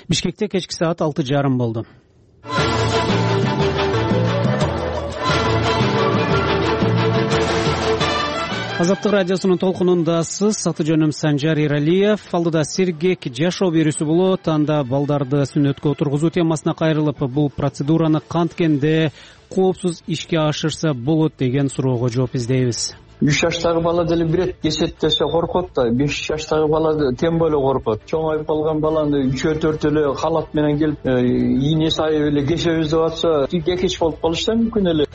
Бишкекте кечки саат 6:30 болду. Азаттык радиосунун толкунундасыз. Аты-жөнүм Санжар Иралиев. Алдыда сергек жашоо берүүсү болот. Анда балдарды сүннөткө отургузуу темасына кайрылып, бул процедураны канткенде коопсуз ишке ашырса болот деген суроого жооп издейбиз. 3 жаштагы бала деле бирет кесет коркот да, 5 жаштагы бала тем более коркот. Чоңоюп калган баланы 3-4 эле халат менен келип ийне сайып эле кесебиз деп атса, кекеч болуп калышы да мүмкүн эле.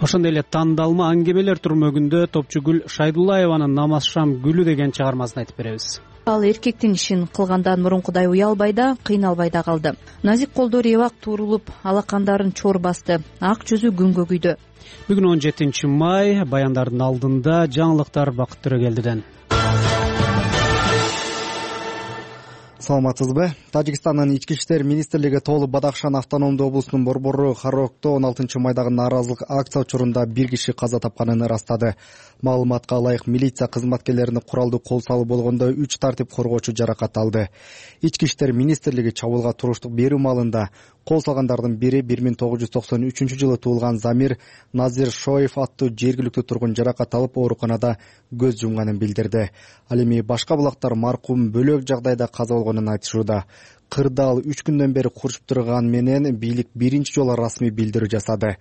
Ошондой эле тандалма аңгемелер турмөгүндө Топчугүл Шайдуллаеванын Намаз шам гүлү деген чыгармасын айтып беребиз. Ал эркектин ишин кылгандан мурункудай уялбай да, кыйналбай да калды. Назик колдор эбак туурулуп, алакандарын чор басты, ак жүзү күнгө күйдү. Бүгүн 17 май, баяндардын алдында жаңылыктар Бакыт Төрөгелдиден. Саламатсызбы? Тажикстандын ички иштер министрлиги Тоолу Бадахшан автономдуу облусунун борбору Харокто 16 майдагы нааразылык акция учурунда 1 киши каза тапканын ырастады. Маалыматка ылайык, милиция кызматкерлерине куралдуу кол салуу болгондо 3 тартип коргоочу жаракат алды. Ички иштер министрлиги чабуулга туруштук берүү маалында кол салгандардын бири 1993-жылы туулган Замир Назир Шоев аттуу жергиликтүү тургун жаракат алып ооруканада көз жумганын билдирди. Ал эми башка булактар маркум бөлөк жагдайда каза болгонун айтышууда. Кырдаал 3 күндөн бери курушуп турган менен бийлик биринчи жолу расмий билдирүү жасады.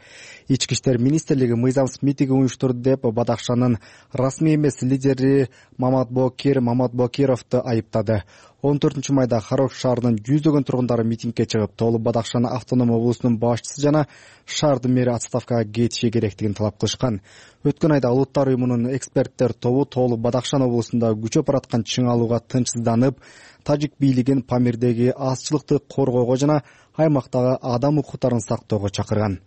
Ички иштер министрлиги мыйзамсыз митинг уюштурду деп Бадахшанын расмий эмес лидери Маматбокировду айыптады. 14 майда Харок шаарынын жүздөгөн тургундары митингге чыгып, Тоолу Бадахшан автоном облусунун башчысы жана шаардын мэри отставкага кетиши керектигин талап кылышкан. Өткөн айда Улуттар уюмунун эксперттер тобу Тоолу Бадахшан облусунда күчөп бараткан чың алууга тынчсызданып, тажик бийлигин Памирдеги азчылыкты коргоого жана аймактагы адам укуктарын сактоого чакырган.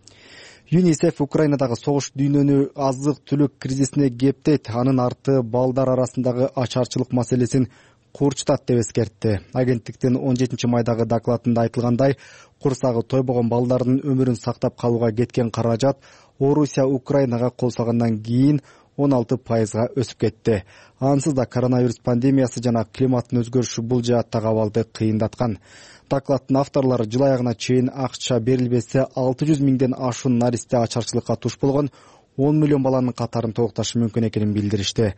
ЮНИСЕФ Украинадагы согуш дүйнөнү азык-түлүк кризисине кептейт, анын арты балдар арасындагы ачарчылык маселесин курчутат деп эскертти. Агенттиктин 17 майдагы докладында айтылгандай, курсагы тойбогон балдардын өмүрүн сактап калууга кеткен каражат Орусия Украинага кол салгандан кийин 16% өсүп кетти. Ансыз да коронавирус пандемиясы жана климаттын өзгөрүшү бул жааттагы абалды кыйындаткан. Докладдын авторлору жыл аягына чейин акча берилбесе 600 миңден ашуун наристе ачарчылыкка туш болгон 10 миллион баланын катарын толукташы мүмкүн экенин билдиришти.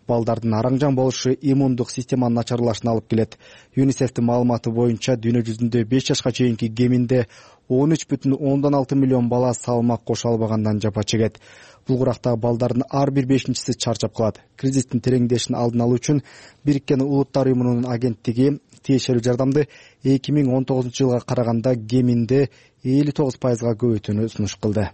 Балдардын араңжан болушу иммундук системанын начарлашына алып келет. ЮНИСЕФтин маалыматы боюнча дүйнө жүзүндө 5 жашка чейинки кеминде 13,6 миллион бала салмак кошо албагандан жапа чегет. Бул курактагы балдардын ар бир 5-чиси чарчап калат. Кризистин тереңдешин алдын алуу үчүн Бириккен Улуттар уюмунун агенттиги тиешелүү жардамды 2019-жылга караганда кеминде 59% көбөйтүүнү сунуш кылды.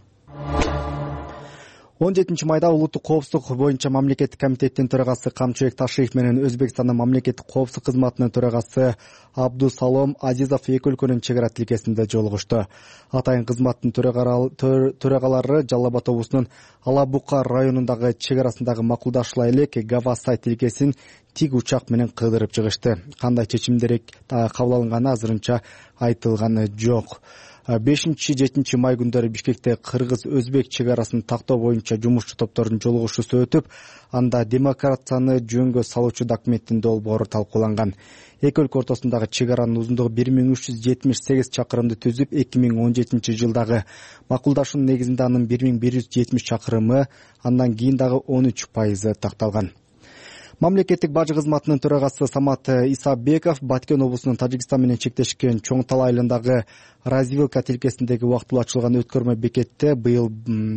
17 майда улуттук коопсуздук боюнча мамлекеттик комитеттин төрагасы Камчыбек Ташиев менен Өзбекстандын мамлекеттик коопсуздук кызматынын төрагасы Абдусалом Азизов эки өлкөнүн чек ара тилкесинде жолугушту. Атайын кызматтын төрагалары Жалал Абад облусунун Алабука районундагы чек арасындагы макулдашуулар элек Гавасай тилкесин тик учак менен кыдырып чыгышты. Кандай чечимдер кабыл алынганы азырынча айтылганы жок. 5-7 май күндөрү Бишкекте кыргыз-өзбек чек арасын тактоо боюнча жумушчу топтордун жолугушуусу өтүп, анда демократияны жөнгө салуучу документтин долбоору талкууланган. Эки өлкө ортосундагы чек аранын узундугу 1378 чакырымды түзүп, 2017 жылдагы макулдашуунун негизинде анын 1170 чакырымы, андан кийин дагы 13% такталган. Мамлекеттик бажы кызматынын төрагасы Самат Исабеков Баткен облусунун Тажикстан менен чектешкен Чоң Тал айылындагы развилка тилкесиндеги убактылуу ачылган өткөрмө бекетте быйыл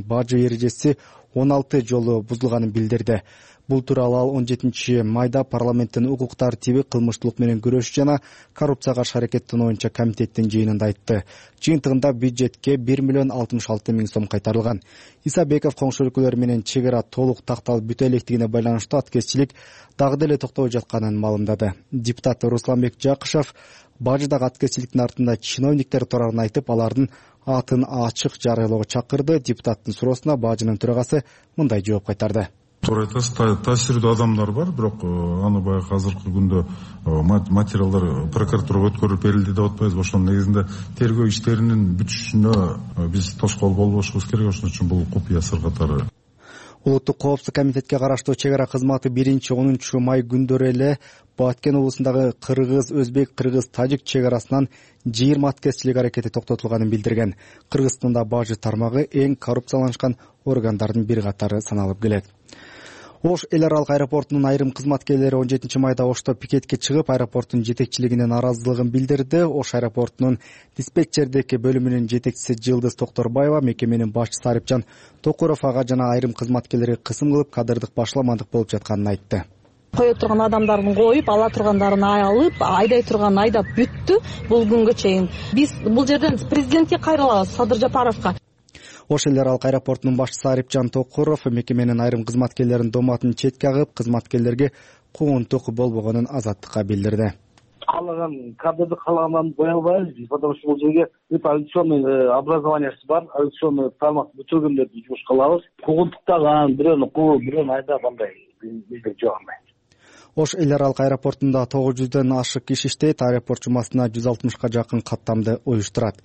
бажы эрежеси 16 жолу бузулганын билдирди. Бул тууралуу ал 17 майда парламенттин укук тартиби, кылмыштуулук менен күрөш жана коррупцияга каршы аракеттин боюнча комитеттин жыйынында айтты. Жыйынтыгында бюджетке 1 миллион 66 миң сом кайтарылган. Исабеков коңшу өлкөлөр менен чек ара толук такталып бүтө электигине байланыштуу аткезчилик дагы деле токтобой жатканын маалымдады. Депутат Русланбек Жакышев бажыдагы аткезчиликтин артында чиновниктер турарын айтып, алардын атын ачык жарыялоого чакырды. Депутаттын суроосуна бажынын төрагасы мындай жооп кайтарды. Туура айтасыз, таасирдүү адамдар бар, бирок аны баягы азыркы күндө материалдар прокуратурага өткөрүлүп берилди деп атпайбызбы? Ошонун негизинде тергөө иштеринин бүтүшүнө биз тоскоол болбошубуз керек. Ошон үчүн бул купуя сыр катары. Улуттук коопсуздук комитетке караштуу чек ара кызматы 1-10 май күндөрү эле Баткен облусундагы кыргыз-тажик чек арасынан 20 аткезчилик аракети токтотулганын билдирген. Кыргызстанда бажы тармагы эң коррупцияланышкан органдардын бир катары саналып келет. Ош эл аралык аэропортунун айрым кызматкерлери 17 майда Ошто пикетке чыгып, аэропорттун жетекчилигине нааразылыгын билдирди. Ош аэропортунун диспетчердик бөлүмүнүн жетекчиси Жылдыз Токторбаева мекеменин башчысы Арипжан Токуров ага жана айрым кызматкерлерге кысым кылып, кадырдык башаламандык болуп жатканын айтты. Кое турган адамдардын коюп, ала тургандарын алып, айдай турганын айдап бүттү бул күнгө чейин. Биз бул жерден президентке кайрылабыз, Садыр Жапаровго. Ош эл аралык аэропортунун башчысы Арипжан Токуров мекеменин айрым кызматкерлеринин дооматын четке агып, кызматкерлерге куугунтук болбогонун Азаттыкка билдирди. Каалаган кадрды каалагандан кое албайбыз, потому что бул жерге авиационный образованиясы бар, авиационный тармак бүтүргөндөрдү жумушка алабыз. Куугунтуктаган, бирөөнү кууп, бирөөнү айдап андай бизде жок андай. Ош эл аралык аэропортунда 900дөн ашык киши иштейт, аэропорт жумасына 160ка жакын каттамды уюштурат.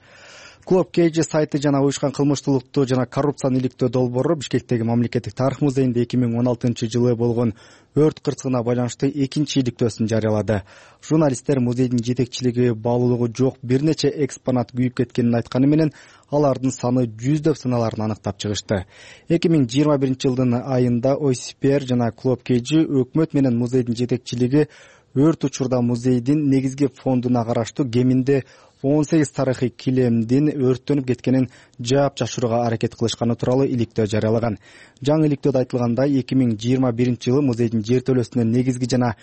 Клуб KG сайты жана уюшкан кылмыштуулукту жана коррупцияны иликтөө долбоору Бишкектеги мамлекеттик тарых музейинде 2016-жылы болгон өрт кырсыгына байланыштуу экинчи иликтөөсүн жарыялады. Журналисттер музейдин жетекчилиги баалуулугу жок бир нече экспонат күйүп кеткенин айтканы менен алардын саны 100дөп саналарын аныктап чыгышты. 2021-жылдын айында ОСПР жана Клуб KG өкмөт менен музейдин жетекчилиги өрт учурда музейдин негизги фондуна караштуу кеминде 18 тарыхый килемдин өрттөнүп кеткенин жаап жашырууга аракет кылышканы тууралуу иликтөө жарыялаган. Жаңы иликтөөдө айтылгандай, 2021-жылы музейдин жертөлөсүнө негизги жана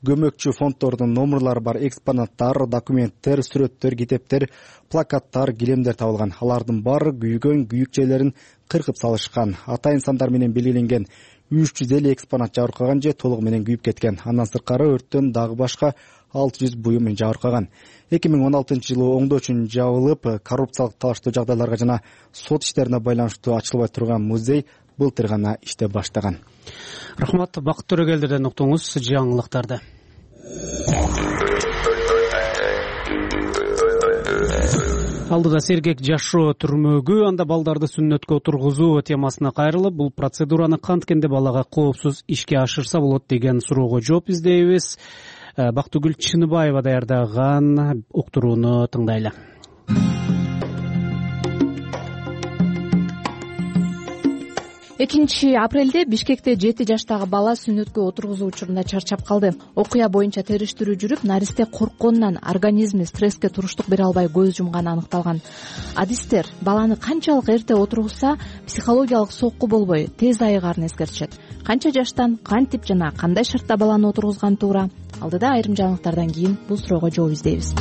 көмөкчү фонддордун номерлары бар экспонаттар, документтер, сүрөттөр, китептер, плакаттар, килемдер табылган. Алардын баары күйгөн, күйүк жерлерин кыркып салышкан. Атайын сандар менен белгиленген 350 экспонат жабыркаган же толугу менен күйүп кеткен. Андан сырткары өрттөн дагы башка 600 буюм жабыркаган. 2016-жылы оңдоо үчүн жабылып, коррупциялык талаштуу жагдайларга жана сот иштерине байланыштуу ачылбай турган музей былтыр гана иштеп баштаган. Рахмат, Бакыт Төрөгелдерден уктуңуз жаңылыктарды. Алдыда сергек жашоо түрмөгү, анда балдарды сүннөткө отургузуу темасына кайрылып, бул процедураны канткенде балага коопсуз ишке ашырса болот деген суроого жооп издейбиз. Бактыгүл Чыныбаева даярдаган уктурууну тыңдайлы. 2 апрелде Бишкекте 7 жаштагы бала сүннөткө отургузуу учурунда чарчап калды. Окуя боюнча териштирүү жүрүп, наристе коркконунан организми стресске туруштук бере албай көз жумганы аныкталган. Адистер баланы канчалык эрте отургузса, психологиялык сокку болбой тез айыгарын эскертишет. Канча жаштан, кантип жана кандай шартта баланы отургузган туура? Алдыда айрым жаңылыктардан кийин бул суроого жооп издейбиз.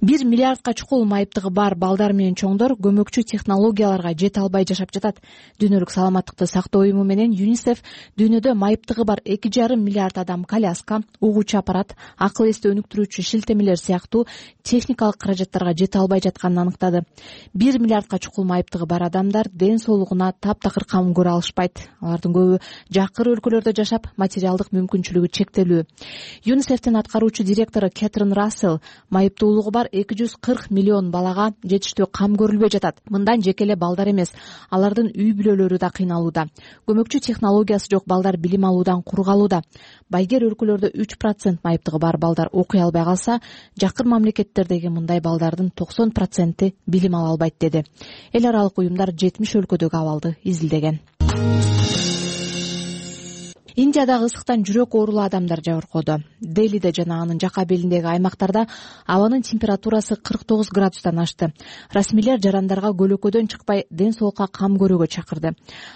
1 миллиардка чукул майыптыгы бар балдар менен чоңдор көмөкчү технологияларга жете албай жашап жатат. Дүйнөлүк саламаттыкты сактоо уюму менен ЮНИСЕФ дүйнөдө майыптыгы бар 2,5 миллиард адам коляска, угуучу аппарат, акыл эсти өнүктүрүүчү шилтемелер сыяктуу техникалык каражаттарга жете албай жатканын аныктады. 1 миллиардка чукул майыптыгы бар адамдар ден соолугуна таптакыр кам көрө алышпайт. Алардын көбү жакыр өлкөлөрдө жашап, материалдык мүмкүнчүлүгү чектелүү. ЮНИСЕФтин аткаруучу директору Кэтрин Рассел майыптуулугу бар 240 миллион балага жетиштүү кам көрүлбөй жатат. Мындан жеке эле балдар эмес, алардын үй бүлөлөрү да кыйналууда. Көмөкчү технологиясы жок балдар билим алуудан кур калууда. Байгер өлкөлөрдө 3% майыптыгы бар балдар окуй албай калса, жакыр мамлекеттердеги мындай балдардын 90% билим ала албайт деди. Эл аралык уюмдар 70 өлкөдөгү абалды изилдеген. Индиядагы ысыктан жүрөк оорулуу адамдар жабыркоодо. Делиде жана анын жака белиндеги аймактарда абанын температурасы 49 градустан ашты. Расмийлер жарандарга көлөкөдөн чыкпай ден соолукка кам көрүүгө чакырды.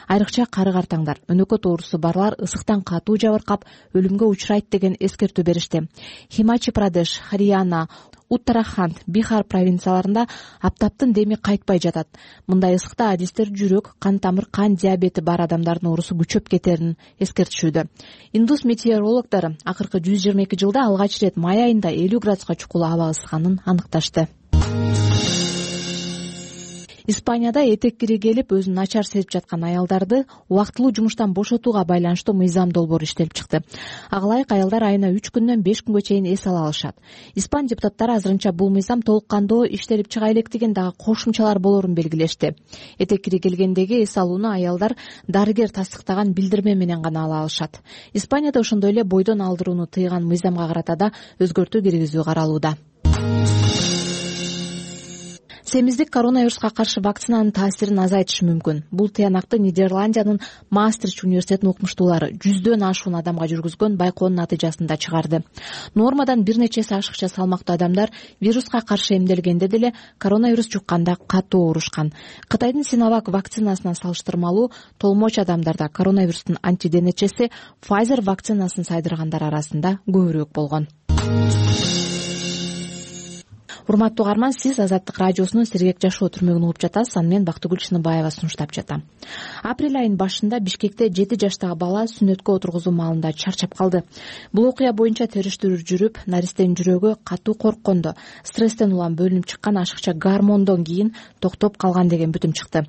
Айрыкча кары-картаңдар, өнөкөт оорусу барлар ысыктан катуу жабыркап өлүмгө учурайт деген эскертүү беришти. Химачи Прадеш, Харияна, Уттараханд, Бихар провинцияларында аптаптын деми кайтпай жатат. Мындай ысыкта адистер жүрөк, кан тамыр, кан диабети бар адамдардын оорусу күчөп кетерин эскертишүүдө. Индус метеорологдор акыркы 122 жылда алгач ирет май айында 50 градуска чукул аба ысыганын аныкташты. Испанияда этек кири келип өзүн начар сезип жаткан аялдарды убактылуу жумуштан бошотууга байланыштуу мыйзам долбоору иштелип чыкты. Ага ылайык аялдар айына 3 күндөн 5 күнгө чейин эс ала алышат. Испан депутаттары азырынча бул мыйзам толук кандуу иштелип чыга электигин дагы кошумчалар болорун белгилешти. Этек кири келгендеги эс алууну аялдар дарыгер тастыктаган билдирме менен гана ала алышат. Испанияда ошондой эле бойдон алдырууну тыйган мыйзамга карата да өзгөртүү киргизүү каралууда. Семиздик коронавируска каршы вакцинанын таасирин азайтышы мүмкүн. Бул тыянакты Нидерландиянын Маастрихт университетинин окумуштуулары 100дөн ашуун адамга жүргүзгөн байкоонун натыйжасында чыгарды. Нормадан бир нече эсе ашыкча салмактуу адамдар вируска каршы эмделгенде деле коронавирус жукканда катуу оорушкан. Кытайдын Синовак вакцинасына салыштырмалуу толмоч адамдарда коронавирустун антиденечеси Pfizer вакцинасын сайдыргандар арасында көбүрөөк болгон. Урматтуу угарман, сиз Азаттык радиосунун Сергек жашоо түрмөгүн угуп жатасыз. Аны мен Бактыгүл Чыныбаева сунуштап жатам. Апрель айынын башында Бишкекте 7 жаштагы бала сүннөткө отургузуу маалында чарчап калды. Бул окуя боюнча териштирүү жүрүп, наристенин жүрөгү катуу корккондо, стресстен улам бөлүнүп чыккан ашыкча гормондон кийин токтоп калган деген бүтүм чыкты.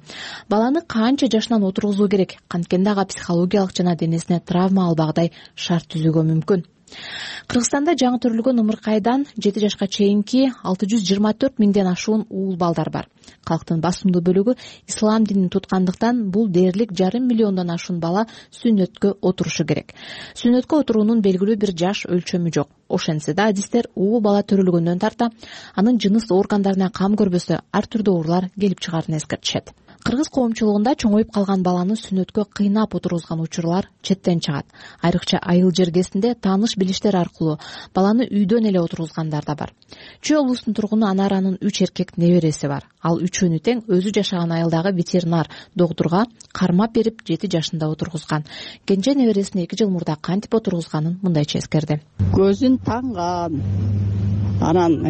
Баланы канча жашынан отургузуу керек? Канткенде ага психологиялык жана денесине травма албагыдай шарт түзүүгө мүмкүн. Кыргызстанда жаңы төрөлгөн ымыркайдан 7 жашка чейинки 624 миңден ашуун уул балдар бар. Калктын басымдуу бөлүгү ислам динин туткандыктан бул дээрлик 5,5 миллиондон ашуун бала сүннөткө отурушу керек. Сүннөткө отуруунун белгилүү бир жаш өлчөмү жок. Ошентсе да адистер уул бала төрөлгөндөн тарта анын жыныс органдарына кам көрбөсө ар түрдүү оорулар келип чыгаарын эскертишет. Кыргыз коомчулугунда чоңоюп калган баланы сүннөткө кыйнап отургузган учурлар четтен чыгат. Айрыкча айыл жергесинде тааныш билиштер аркылуу баланы үйдөн эле отургузгандар да бар. Чүй облусунун тургуну Анаранын 3 эркек небереси бар. Ал үчөөнү тең өзү жашаган айылдагы ветеринар доктурга кармап берип 7 жашында отургузган. Кенже небересин 2 жыл мурда кантип отургузганын мындайча эскерди. Көзүн танган, анан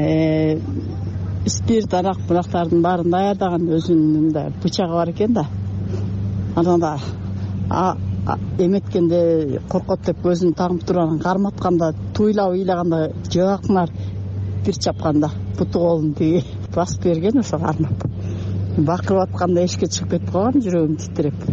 спирт арак бурактардын баарын даярдаган, өзүнүн да бычагы бар экен да. Анан да эметкенде коркот деп көзүн тагып туруп анан карматканда туйлап ыйлаганда жабакмар бир чапканда буту колун тиги басып берген, ошо кармап. Бакырып атканда эшикке чыгып кетип калган, жүрөгүм титиреп.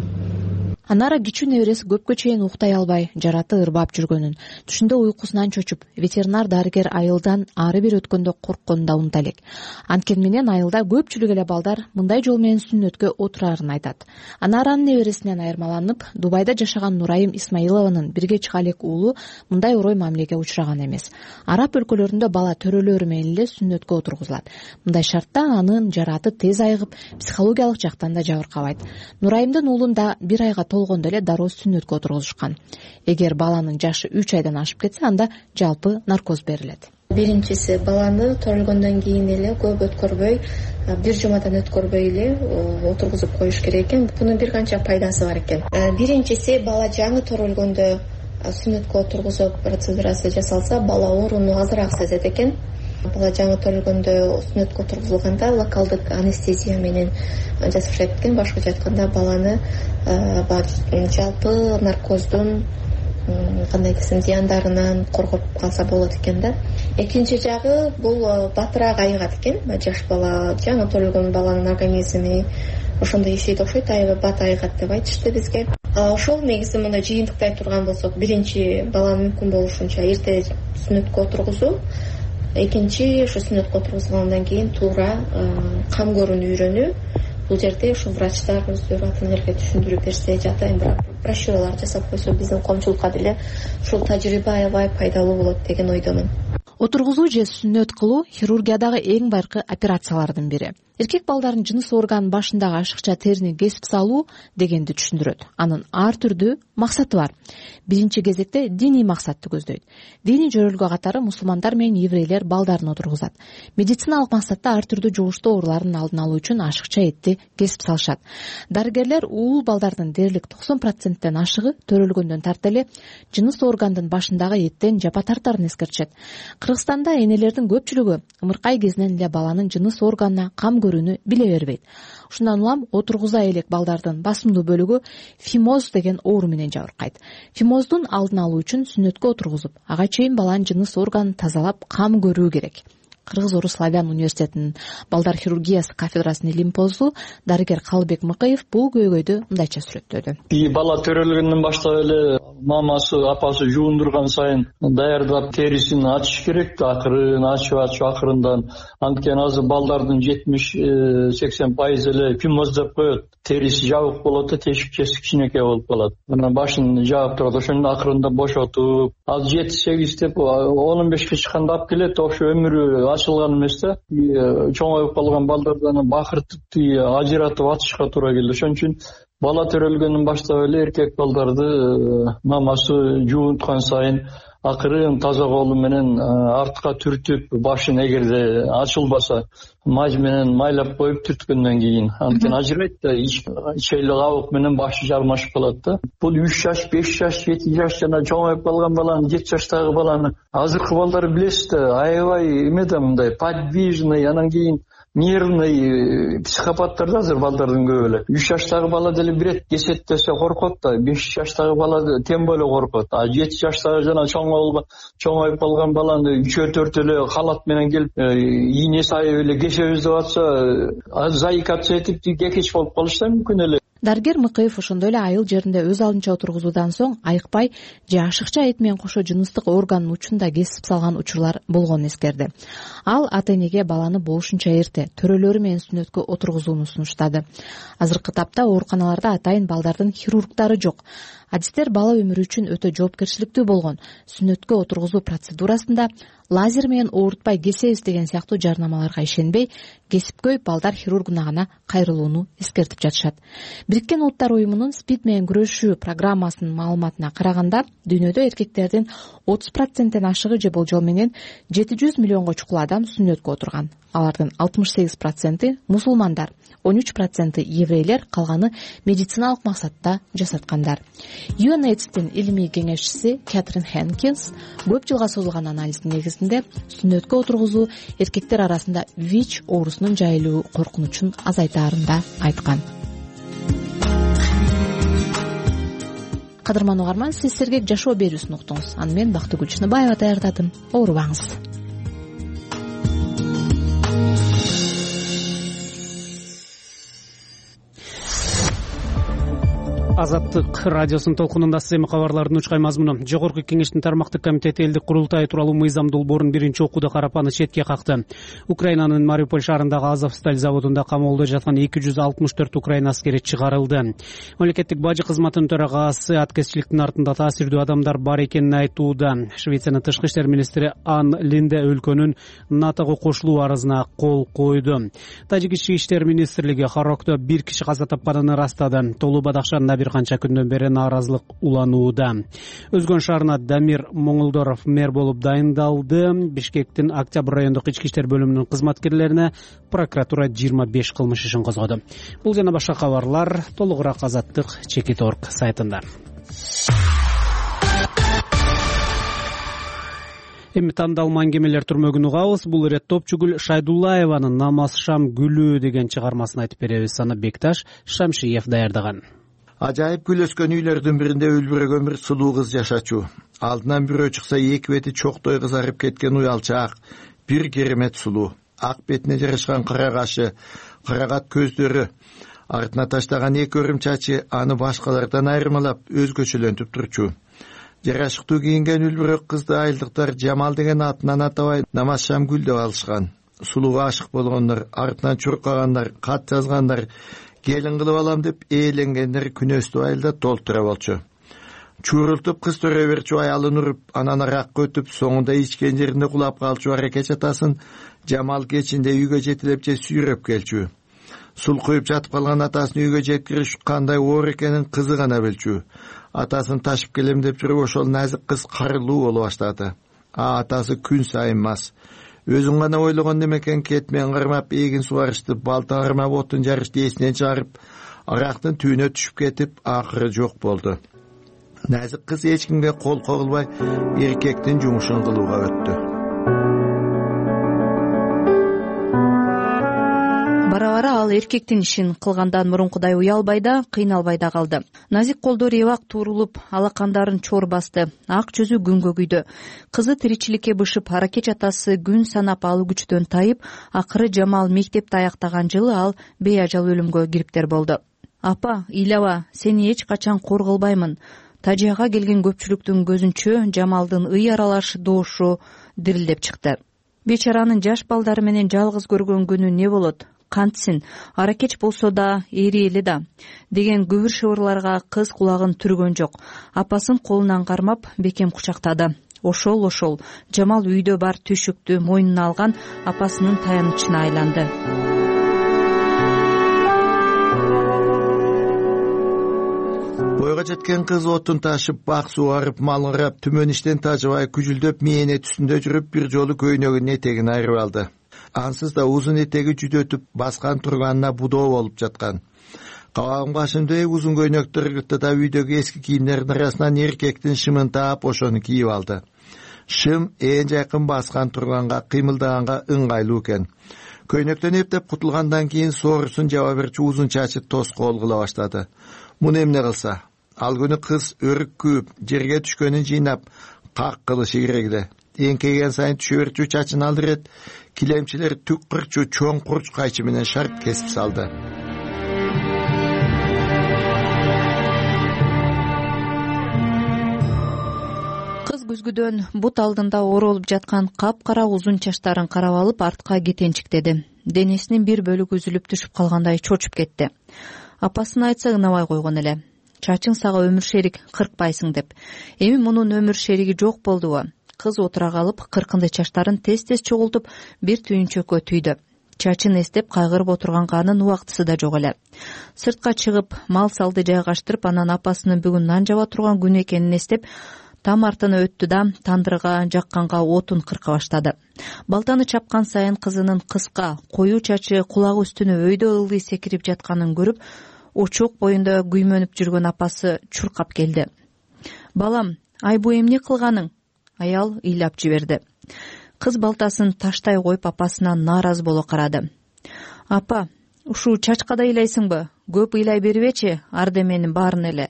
Анара кичүү небереси көпкө чейин уктай албай, жараты ырбап жүргөнүн, түшүндө уйкусунан чочуп, ветеринар дарыгер айылдан ары бери өткөндө коркконун да унута элек. Анткени менен айылда көпчүлүк эле балдар мындай жол менен сүннөткө отурарын айтат. Анаранын небересинен айырмаланып, Дубайда жашаган Нурайым Исмаилованын бирге чыга элек уулу мындай орой мамилеге учураган эмес. Араб өлкөлөрүндө бала төрөлөрү менен эле сүннөткө отургузулат. Мындай шартта анын жараты тез айыгып, психологиялык жактан да жабыркабайт. Нурайымдын уулун да 1 айга толгондо эле дароо сүннөткө отургузушкан. Эгер баланын жашы 3 айдан ашып кетсе, анда жалпы наркоз берилет. Биринчиси, баланы төрөлгөндөн кийин эле көп өткөрбөй, 1 жумадан өткөрбөй эле отургузуп коюш керек экен. Бунун бир канча пайдасы бар экен. Биринчиси, бала жаңы төрөлгөндө сүннөткө отургузуу процедурасы жасалса, бала ооруну азыраак сезет экен. Бала жаңы төрөлгөндө сүннөткө отургузулганда локалдык анестезия менен жасашат экен. Башкача айтканда, баланы жалпы наркоздун кандай десем зыяндарынан коргоп калса болот экен да. Экинчи жагы, бул батыраак айыгат экен. Жаш бала, жаңы төрөлгөн баланын организми ошондой иштейт окшойт, бат айыгат деп айтышты бизге. Ошол негизи мындай жыйынтыктай турган болсок, биринчи бала мүмкүн болушунча эрте сүннөткө отургузуу, экинчи ошо сүннөткө отургузулгандан кийин туура кам көрүүнү үйрөнүү. Бул жерде ошо врачтар өздөрү ата энелерге түшүндүрүп берсе, жата брошюралар жасап койсо, биздин коомчулукка деле ушул тажрыйба аябай пайдалуу болот деген ойдомун. Отургузуу же сүннөт кылуу хирургиядагы эң байыркы операциялардын бири. Эркек балдардын жыныс органынын башындагы ашыкча терини кесип салуу дегенди түшүндүрөт. Анын ар түрдүү максаты бар. Биринчи кезекте диний максатты көздөйт. Диний жөрөлгө катары мусулмандар менен еврейлер балдарын отургузат. Медициналык максатта ар түрдүү жугуштуу оорулардын алдын алуу үчүн ашыкча этти кесип салышат. Дарыгерлер уул балдардын дээрлик 90%тен ашыгы төрөлгөндөн тарта эле жыныс органдын башындагы эттен жапа тартарын эскертишет. Кыргызстанда энелердин көпчүлүгү ымыркай кезинен эле баланын жыныс органына кам көрүүнү биле бербейт. Ушундан улам отургуза элек балдардын басымдуу бөлүгү фимоз деген оору менен жабыркайт. Фимоздун алдын алуу үчүн сүннөткө отургузуп, ага чейин баланын жыныс органын тазалап кам көрүү керек. Кыргыз-Орус славян университетинин балдар хирургиясы кафедрасынын илимпозу дарыгер Калыбек Мыкыев бул көйгөйдү мындайча сүрөттөдү. Бала төрөлгөндөн баштап эле мамасы апасы жуундурган сайын даярдап терисин ачыш керек. Акырын ачып акырындан, анткени азыр балдардын 70-80% эле пимоз деп коет. Териси жабык болот да, тешикчеси кичинекей болуп калат. Анан башын жаап турат, ошондо акырында бошотуп, ал 7-8 деп 15ке чыкканда алып келет. Ошо өмүрү ачылган эмес да. Чоңоюп калган балдардан бакыртып ажыратып атышка туура келди. Ошон үчүн бала төрөлгөндөн баштап эле эркек балдарды мамасы жуунткан сайын акырын таза колу менен артка түртүп, башын эгерде ачылбаса маж менен майлап коюп түрткөндөн кийин, анткени ажырайт да, ичейлик абык менен башы жармашып калат да. Бул 3 жаш, 5 жаш, 7 жаш жана чоңоюп калган баланы, 7 жаштагы баланы азыркы балдар билесиз да, аябай эме да мындай подвижный, анан кийин нервный психопаттар да азыр балдардын көбү эле. 3 жаштагы бала деле бирет кесет десе коркот да, 5 жаштагы бала тем более коркот. А 7 жаштагы жана чоңоюп калган баланы 3-4 эле халат менен келип, ийне сайып эле кесебиз деп атса, заикаться этип кекеч болуп калышы да мүмкүн эле. Дарыгер Мыкыев ошондой эле айыл жеринде өз алдынча отургузуудан соң айыкпай же ашыкча эт менен кошо жыныстык органдын учун да кесип салган учурлар болгонун эскерди. Ал ата-энеге баланы болушунча эрте төрөлөрү менен сүннөткө отургузууну сунуштады. Азыркы тапта ооруканаларда атайын балдардын хирургдары жок. Адистер бала өмүрү үчүн өтө жоопкерчиликтүү болгон сүннөткө отургузуу процедурасында лазер менен оорутпай кесебиз деген сыяктуу жарнамаларга ишенбей, кесипкөй балдар хирургуна гана кайрылууну эскертип жатышат. Бириккен Улуттар уюмунун СПИД менен күрөшүү программасынын маалыматына караганда, дүйнөдө эркектердин 30%ден ашыгы же болжол менен 700 миллионго чукул адам сүннөткө отурган. Алардын 68% мусулмандар, 13% еврейлер, калганы медициналык максатта жасаткандар. UNAIDS'тин илимий кеңешчиси Кэтрин Хенкинс көп жылга созулган анализдин негизинде сүннөткө отургузуу эркектер арасында ВИЧ оорусунун жайылуу коркунучун азайтаарын да айткан. Кадырман угарман, сиз сергек жашоо берүүсүн уктуңуз. Аны мен Бактыгүл Чыныбаева даярдадым. Оорубаңыз. Азаттык радиосунун толкунунда эми кабарлардын учкай мазмуну. Жогорку кеңештин тармактык комитети элдик курултай тууралуу мыйзам долбоорун биринчи окууда карапаны четке какты. Украинанын Мариуполь шаарындагы Азовсталь заводунда камоолдо жаткан 264 украин аскери чыгарылды. Мамлекеттик бажы кызматынын төрагасы аткезчиликтин артында таасирдүү адамдар бар экенин айтууда. Швециянын тышкы иштер министри Ан Линде өлкөнүн НАТОго кошулуу арызына кол койду. Тажик ички иштер министрлиги Харокто 1 киши каза тапканын ырастады. Толуу Бадахшанда бир канча күндөн бери нааразылык уланууда. Өзгөн шаарына Дамир Моңолдоров мэр болуп дайындалды. Бишкектин Октябрь райондук ички иштер бөлүмүнүн кызматкерлерине прокуратура 25 кылмыш ишин козгоду. Бул жана башка кабарлар толугураак Азаттык Чекит.орг сайтында. Эми тандалма аңгемелер түрмөгүн угабыз. Бул ирет Топчугүл Шайдуллаеванын Намаз Шам гүлү деген чыгармасын айтып беребиз. Аны Бекташ Шамшиев даярдаган. Ажайып гүл өскөн үйлөрдүн биринде үлбүрөгөн бир сулуу кыз жашачу. Алдынан бирөө чыкса эки бети чоктой кызарып кеткен уялчаак, бир керемет сулуу. Ак бетине жарышкан кара кашы, карагат көздөрү, артына таштаган эки өрүм чачы аны башкалардан айырмалап өзгөчөлөнтүп турчу. Жарашыктуу кийинген үлбүрөк кызды айылдыктар Жамал деген атынан атабай Намаз Шам гүл деп алышкан. Сулууга ашык болгондор, артынан чуркагандар, кат жазгандар, келин кылып алам деп ээленгендер күнөстүү айылда толтура болчу. Чуурултуп кыз төрө берчү аялын уруп, анан аракка өтүп, соңунда ичкен жеринде кулап калчу аракет атасын Жамал кечинде үйгө жетилеп же сүйрөп келчү. Сул куюп жатып калган атасын үйгө жеткириш кандай оор экенин кызы гана билчү. Атасын ташып келем деп жүрүп, ошол назик кыз карылуу боло баштады. Атасы күн сайын мас. Өзүн гана ойлогон демекен, кетмен кармап, эгин сугарышты, балта кармап, отун жарышты эсинен чыгарып, арактын түйүнө түшүп кетип, акыры жок болду. Назик кыз эч кимге кол когулбай, эркектин жумушун кылууга өттү. бара ал эркектин ишин кылгандан мурункудай уялбай да, кыйналбай да калды. Назик колдор эбак туурулуп, алакандарын чор басты, ак жүзү күнгө күйдү. Кызы тиричиликке бышып, аракеч атасы күн санап ал күчтөн тайып, акыры Жамал мектепти аяктаган жылы ал бейажал өлүмгө кириптер болду. Апа, ыйлаба, сени эч качан кор кылбаймын. Тажияга келген көпчүлүктүн көзүнчө Жамалдын ый аралаш доошу дирилдеп чыкты. Бечаранын жаш балдары менен жалгыз көргөн күнү не болот? Кантсин, аракеч болсо да, эри эле да, деген күбүр шыбырларга кыз кулагын түргөн жок. Апасын колунан кармап, бекем кучактады. Ошол Жамал үйдө бар түйшүктү мойнуна алган апасынын таянычына айланды. Бойго жеткен кыз отун ташып, бак суугарып, мал карап, түмөн иштен тажыбай, күжүлдөп мээне түсүндө жүрүп, бир жолу көйнөгүнүн этегин айырып алды. Ансыз да узун этеги жүдөтүп, баскан турганына будоо болуп жаткан. Кабагым кашымдай узун көйнөктөр ыргытты да үйдөгү эски кийимдердин арасынан эркектин шымын таап, ошону кийип алды. Шым ээн жакын баскан турганга, кыймылдаганга ыңгайлуу экен. Көйнөктөн эптеп кутулгандан кийин соорусун жаба берчү узун чачы тоскоол кыла баштады. Муну эмне кылса? Ал күнү кыз өрүк күйүп, жерге түшкөнүн жыйнап, как кылышы керек эле. Эңкейген сайын түшө берчү чачын алдырет, килемчилер түк кырчу чоң курч кайчы менен шарт кесип салды. Кыз күзгүдөн бут алдында оролуп жаткан капкара узун чачтарын карап алып, артка кетенчиктеди. Денесинин бир бөлүгү үзүлүп түшүп калгандай чочуп кетти. Апасына айтса ынабай койгон эле. Чачың сага өмүр шерик, кыркпайсың деп. Эми мунун өмүр шериги жок болдубу? Кыз отура калып, кыркынды чачтарын тез-тез чогултуп, бир түйүнчөккө түйдү. Чачын эстеп кайгырып отурганга анын убактысы да жок эле. Сыртка чыгып, мал салды жайгаштырып, анан апасынын бүгүн нан жаба турган күнү экенин эстеп, там артына өттү да тандырга жакканга отун кырка баштады. Балтаны чапкан сайын кызынын кыска, коюу чачы кулагы үстүнө өйдө ылдый секирип жатканын көрүп, очок боюнда күймөнүп жүргөн апасы чуркап келди. Балам, ай бу эмне кылганың? Аял ыйлап жиберди. Кыз балтасын таштай коюп апасына нааразы боло карады. Апа, ушу чачка да ыйлайсыңбы? Көп ыйлай бербечи, ардеменин баарын эле.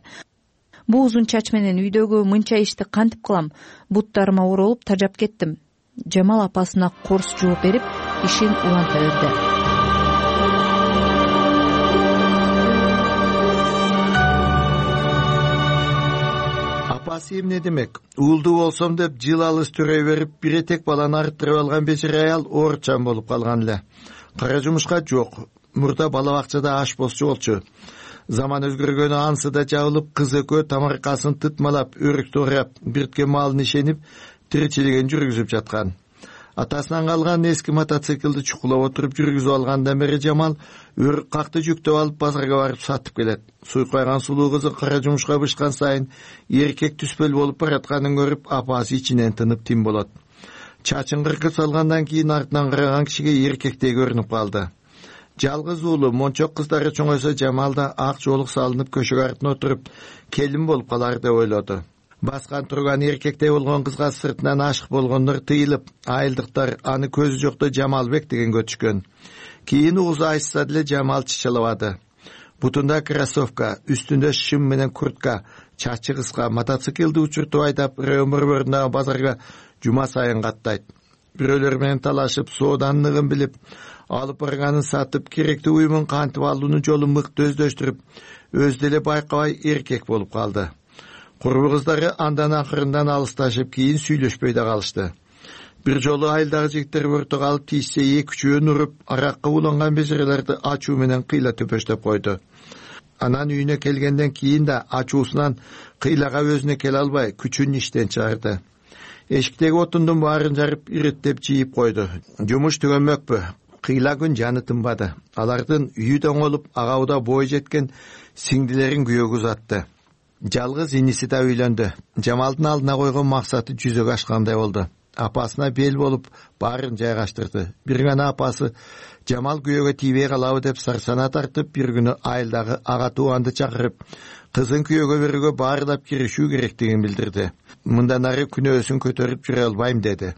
Бу узун чач менен үйдөгү мынча ишти кантип кылам? Буттарыма оролуп тажап кеттим. Жамал апасына корс жооп берип, ишин уланта берди. Апасы эмне демек? Уулду болсом деп жыл алыс төрөй берип, бир этек баланы арттырып алган бечара аял оорчан болуп калган эле. Кара жумушка жок. Мурда бала бакчада аш босчу болчу. Заман өзгөргөнү ансы да жабылып, кыз экөө тамаркасын тытмалап, өрүктү орап, биртке малын ишенип, тиричилигин жүргүзүп жаткан. Атасынан калган эски мотоциклди чукулап отуруп жүргүзүп алгандан бери Жамал өрүк какты жүктөп алып базарга барып сатып келет. Суйкайган сулуу кызы кара жумушка бышкан сайын эркек түспөл болуп баратканын көрүп, апасы ичинен тынып тим болот. Чачын кыркып салгандан кийин артынан караган кишиге эркектей көрүнүп калды. Жалгыз уулу мончок кыздары чоңойсо Жамал да ак жоолук салынып көшөгө артына отуруп келин болуп калар деп ойлоду. Баскан турган эркектей болгон кызга сыртынан ашык болгондор тыйылып, айылдыктар аны көзү жокто Жамалбек дегенге өтүшкөн. Кийин угузу айтса деле Жамал чычалабады. Бутунда кроссовка, үстүндө шым менен куртка, чачы кыска, мотоциклди учуртуп айдап, Рөмөрбөрүндөгү базарга жума сайын каттайт. Бирөөлөр менен талашып, сооданлыгын билип, алып барганын сатып, керектүү уюмун кантип алуунун жолун мыкты өздөштүрүп, өзү деле байкабай эркек болуп калды. Курбу кыздары андан акырындан алысташып, кийин сүйлөшпөй да калышты. Бир жолу айылдагы жигиттер өртө калып тийсе, эки-үчөөнү уруп, аракка уланган бежерелерди ачуу менен кыйла төпөштөп койду. Анан үйүнө келгенден кийин да ачуусунан кыйлага өзүнө келе албай, күчүн иштен чыгарды. Эшиктеги отундун баарын жарып, иреттеп жийип койду. Жумуш түгөнмөкпү. Кыйла күн жаны тынбады. Алардын үйү доңолуп, агабыда бой жеткен сиңдилерин күйөөгө узатты. Жалгыз иниси да үйлөндү. Жамалдын алдына койгон максаты жүзөгө ашкандай болду. Апасына бел болуп, баарын жайгаштырды. Бир гана апасы Жамал күйөөгө тийбей калабы деп сарсана тартып, бир күнү айылдагы ага тууганды чакырып, кызын күйөөгө берүүгө баардап киришүү керектигин билдирди. Мындан ары күнөөсүн көтөрүп жүрө албайм деди.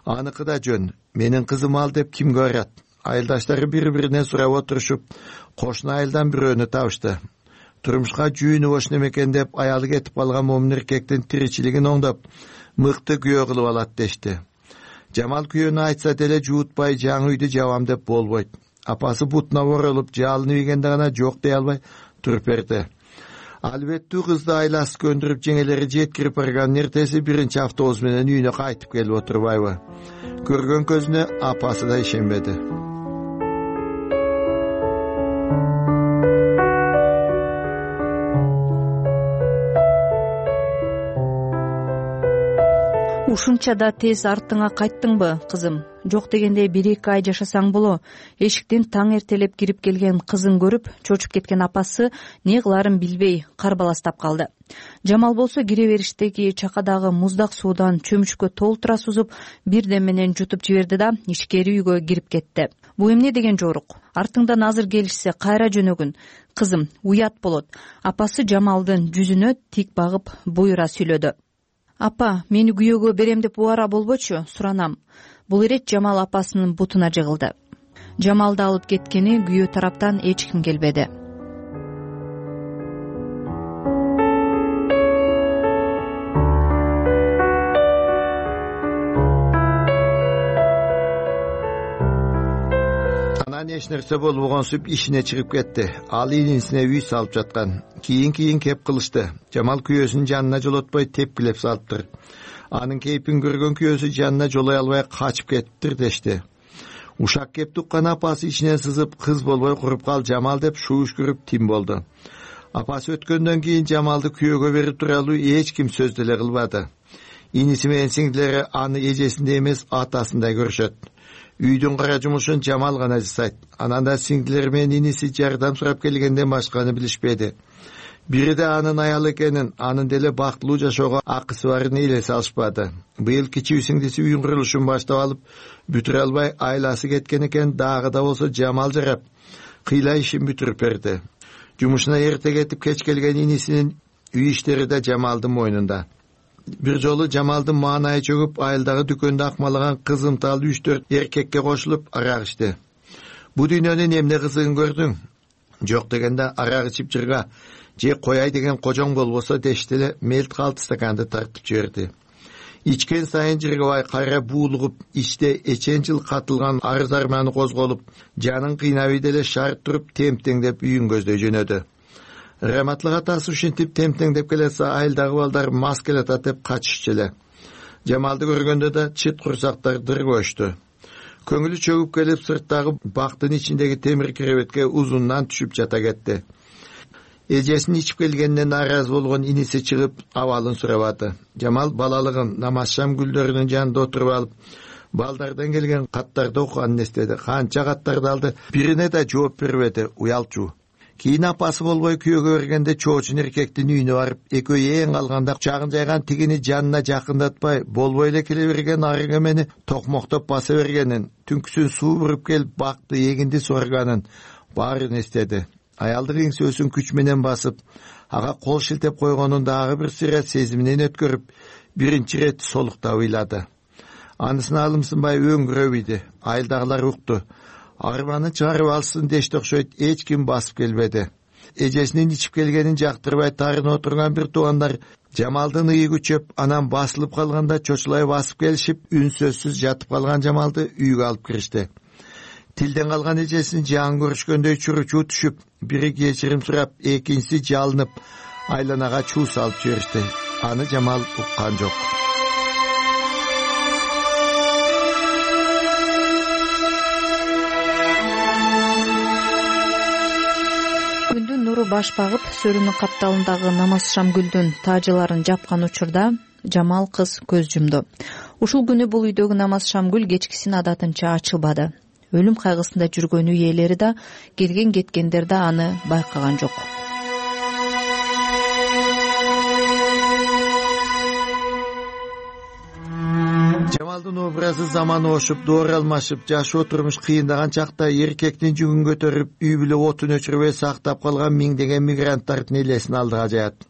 Аныкы да жөн. Менин кызым ал деп кимге барат? Айылдаштары бири-биринен сурап отурушуп, кошуна айылдан бирөөнү табышты. Турмушка жүйүнү бош немекен деп аялы кетип калган момун эркектин тиричилигин оңдоп, мыкты күйөө кылып алат дешти. Жамал күйөөнү айтса деле жуутпай жаңы үйдү жабам деп болбойт. Апасы бутуна оролуп жалынып ийгенде гана жок дей албай туруп берди. Албеттүү кызды айласы көндүрүп жеңелери жеткирип барганын эртеси биринчи автобус менен үйүнө кайтып келип отурбайбы? Көргөн көзүнө апасы да ишенбеди. Ушунча да тез артыңа кайттыңбы, кызым? Жок дегенде 1-2 ай жашасаң боло. Эшиктен таң эртелеп кирип келген кызын көрүп, чочуп кеткен апасы не кыларын билбей карбаластап калды. Жамал болсо кире бериштеги чакадагы муздак суудан чөмүчкө толтура сузуп, бирден менен жутуп жиберди да ичкери үйгө кирип кетти. Бу эмне деген жорук? Артыңдан азыр келишсе кайра жөнөгүн. Кызым, уят болот. Апасы Жамалдын жүзүнө тик багып буйра сүйлөдү. Апа, мени күйөөгө берем деп убара болбочу, суранам. Бул ирет Жамал апасынын бутуна жыгылды. Жамалды алып кеткени күйөө тараптан эч ким келбеди. Анан эч нерсе болбогонсуп ишине чыгып кетти. Ал инисине үй салып жаткан. Кийин кеп кылышты. Жамал күйөөсүнүн жанына жолотпой тепкилеп салыптыр. Анын кейпин көргөн күйөөсү жанына жолой албай качып кетиптир дешти. Ушак кеп туккан апасы ичинен сызып, кыз болбой куруп кал Жамал деп шууш көрүп тим болду. Апасы өткөндөн кийин Жамалды күйөөгө берип туралуу эч ким сөз деле кылбады. Иниси менен сиңдилери аны эжесиндей эмес атасындай көрүшөт. Үйдүн кара жумушун Жамал гана жасайт. Анан да сиңдилери менен иниси жардам сурап келгенден башканы билишпеди. Бири да анын аялы экенин, анын деле бактылуу жашоого акысы барын элесе алышпады. Быйыл кичүү сиңдиси үйүн курулушун баштап алып, бүтүрө албай айласы кеткен экен, дагы да болсо Жамал жарап, кыйла ишин бүтүрүп берди. Жумушуна эрте кетип кеч келген инисинин үй иштери да Жамалдын мойнунда. Бир жолу Жамалдын маанайы чөгүп, айылдагы дүкөндө акмалаган кызымтал 3-4 эркекке кошулуп арак ичти. Бу дүйнөнүн эмне кызыгын көрдүң? Жок дегенде арак ичип жырга же кояй деген кожоң болбосо дешти эле мелт калты стаканды тартып жиберди. Ичкен сайын жыргабай кайра буулугуп, ичте эчен жыл катылган арыз арманы козголуп, жанын кыйнабый деле шарт туруп темтеңдеп үйүн көздөй жөнөдү. Раматлык атасы ушинтип темтеңдеп келсе, айылдагы балдар мас келатат деп качышчу эле. Жамалды көргөндө да чыт курсактар дыр коюшту. Көңүлү чөгүп келип, сырттагы бактын ичиндеги темир керебетке узундан түшүп жата кетти. Эжесин ичип келгенинен наразы болгон иниси чыгып, абалын сурабады. Жамал балалыгын намаз шам гүлдөрүнүн жанында отуруп алып, балдардан келген каттарды окуганын эстеди. Канча каттарды алды, бирине да жооп бербеди, уялчу. Кийин апасы болбой күйөөгө бергенде чоочун эркектин үйүнө барып, экөө эң алганда чагын жайган тигини жанына жакындатпай, болбой эле келе берген арык эмени токмоктоп баса бергенин, түнкүсүн суу буруп келип бакты эгинди сорганын баарын эстеди. Аялдык эңсөөсүн күч менен басып, ага кол шилтеп койгонун дагы бир сыйра сезиминен өткөрүп, биринчи ирет солуктап ыйлады. Анысына алымсынбай өңгүрөп ийди. Айылдагылар укту. Арманын чыгарып алсын дешти окшойт, эч ким басып келбеди. Эжесинин ичип келгенин жактырбай тарынып отурган бир туугандар Жамалдын ыы күчөп, анан басылып калганда чочулай басып келишип, үнсөзсүз жатып калган Жамалды үйгө алып киришти. Тилден калган эжесин жан көрүшкөндөй чуручу түшүп, бири кечирим сурап, экинчиси жалынып, айланага чуу салып жиберишти. Аны Жамал уккан жок. Күндүн нуру баш багып, сөрүнүн капталындагы намаз шамгүлдүн таажыларын жапкан учурда Жамал кыз көз жумду. Ушул күнү бул үйдөгү намаз шамгүл кечкисин адатынча ачылбады. Өлүм кайгысында жүргөн үй ээлери да, келген кеткендер да аны байкаган жок. Жамалдын образы заманы ошуп, доор алмашып, жашоо турмуш кыйындаган чакта эркектин жүгүн көтөрүп, үй бүлө отун өчүрбөй сактап калган миңдеген мигранттардын элесин алдыга жаят.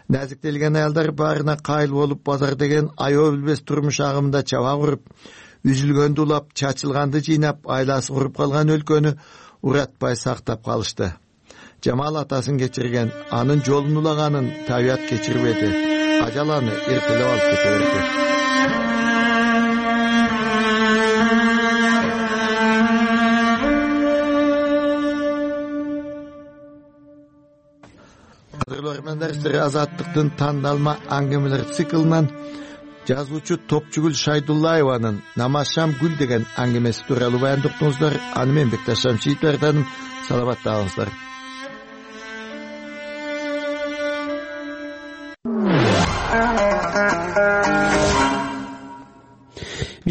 Назиктелген аялдар баарына кайыл болуп, базар деген аябы билбес турмуш агымында чаба куруп, үзүлгөндү улап, чачылганды жыйнап, айласы куруп калган өлкөнү уратпай сактап калышты. Жамал атасын кечирген, анын жолун улаганын табият кечирбеди. Ажал аны эртелеп алып кете берди. Азаттыктын тандалма аңгемелер циклынан жазуучу Топчугүл Шайдуллаеванын «Намазшам гүл» деген аңгемеси тууралуу баяндоктуңуздар. Аны мен Бекташ Шамшиев даярдадым. Саламатта калыңыздар.